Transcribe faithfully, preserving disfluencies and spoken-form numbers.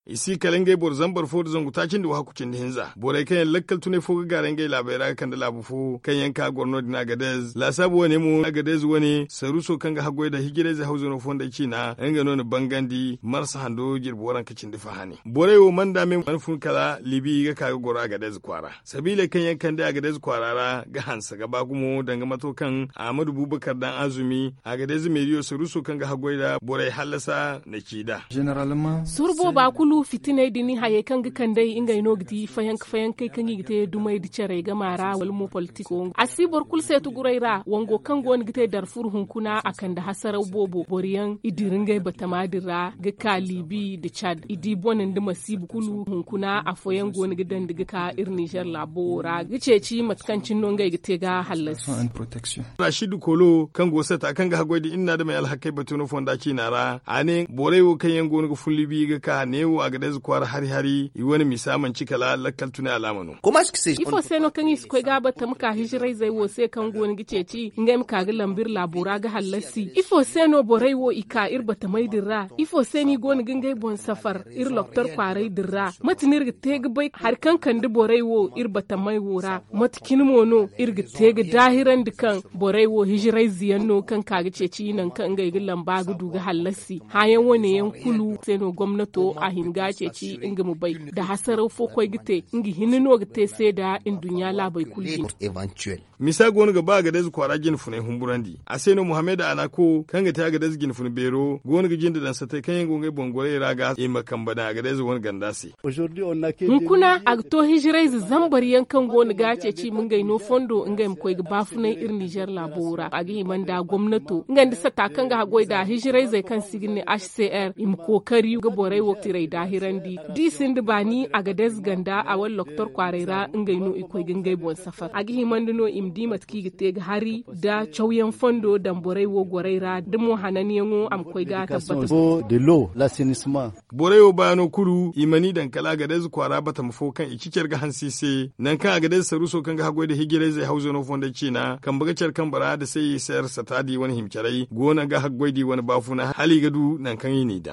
I si kala ngey boro zambar fo nda zangu taaci nda wahakku cindi hinza borey kaŋ yaŋ lakkal tunay fo ga gaaray ngey laabey ra ga kande laabu fo kaŋ yaŋ ka goro no- din agadez laasaabu wane mo agadez wane saruuso kaŋ ga haggoy nda hijirayze hawzano fondey ciina nga no na bangandi marsa hando jirbi waranka cindi fahani. Borey wo mana nda me mana fun kala libi ga ka ga goro agadez kwaara sabiiley kaŋ yaŋ kande agadez kwaara ra ga hanse ga ba gumo danga mato kaŋ ahmadu bubakar daŋ azumi agadez meeriyo saruuso kaŋ ga haggoy nda borey hallasa na ci nd'a. Soro booba kulu fitiney din hayey kaŋ ga kand'ey ngey no ga di fayanka fayankey kaŋ i ga te dumey nda carey gama ra wala mo politiko a si boro kulu seetu guray ra wango kaŋ go no ga te darfur hunkuna a kande hasaraw boobo boro yaŋ i dira ngey batama din ra ga ka libi nda cad i di bone nda masiiba kulu hunkuna afooyaŋ go no ga dandi ga ka iri nizer laabo wo ra ga ceeci mate kaŋ cine no ngey ga te ga hallasi. Rashid kolo kaŋ go sata kaŋ ga haggoy nda iri na adamey alhakey batu no fonda ciina ra a ne borey wo kaŋ yaŋ go no ga fun libi ga ka neewo agadez kwaara hari hari i wane misa manci kala lakkal tunay alaama no. Ifo se no kaŋ i si koy ga a bata ma ka hijirayzey wo se kaŋ go no ga ceeci ngey ma ka ga lamba iri laabo ra ga hallasi ifo se no borey wo i ka iri batamey din ra ifo se no i go no ga ngey boŋ safar iri loktor kwaaray din ra mate no iri ga te ga bay hari kaŋ kande borey wo iri batamey wo ra mate cine mo no iri ga te ga daahirandi kaŋ borey wo hijirayze yaŋ no kaŋ ka ga ceeci nangu kaŋ ngey ga lamba ga du ga hallasi hããyaŋ wane yaŋ kulu se no gomnato a hin ga a ceeci nga ma bay nda hasaraw fo koy ga te nga hinne no ga te se nda nduɲɲa laabey kulu jine. Misa go no ga ba agadez kwaara jine funay humburandi a se no muhammad anako kaŋ ga te agadez jine funa beero go no ga jinde daŋ satey kaŋ yaŋ go ngey boŋ gorey ra ga i ma kambe daŋ agadez wane ganda se. Hunkuna a ga to hijirayze zambar yaŋ kaŋ go no ga ceeci i ma ngey no fondo ngey ma koy ga baafunay iri nizer laabo ra a ga hima nda gomnato nga nda sata kaŋ ga haggoy nda hijirayzey kaŋ se i ga ne hcr i ma kookari ga borey wo tiray daahirandi da i sinda baani agadez ganda a wala loktor kwaaray ra ngey no i koy ga ngey boŋ safar a ga himandi no i ma di mate kaŋ i ga te ga hari nda cawyaŋ fondo daŋ borey wo gorey ra da mo hananyaŋo a ma koy ga tabbata. Borey wo baano kulu i mana i daŋ kala agadez kwaara batama fo kaŋ i ci care ga hanse i se nangu kaŋ agadez saruuso kaŋ ga haggoy nda hijirayzey hawzano fondey ciina kambe ga care kambe ra nda se i se arsata di wane hima carey go no ga haggoy di wane baafuna hala i ga du nangu kaŋ i n'i daŋ.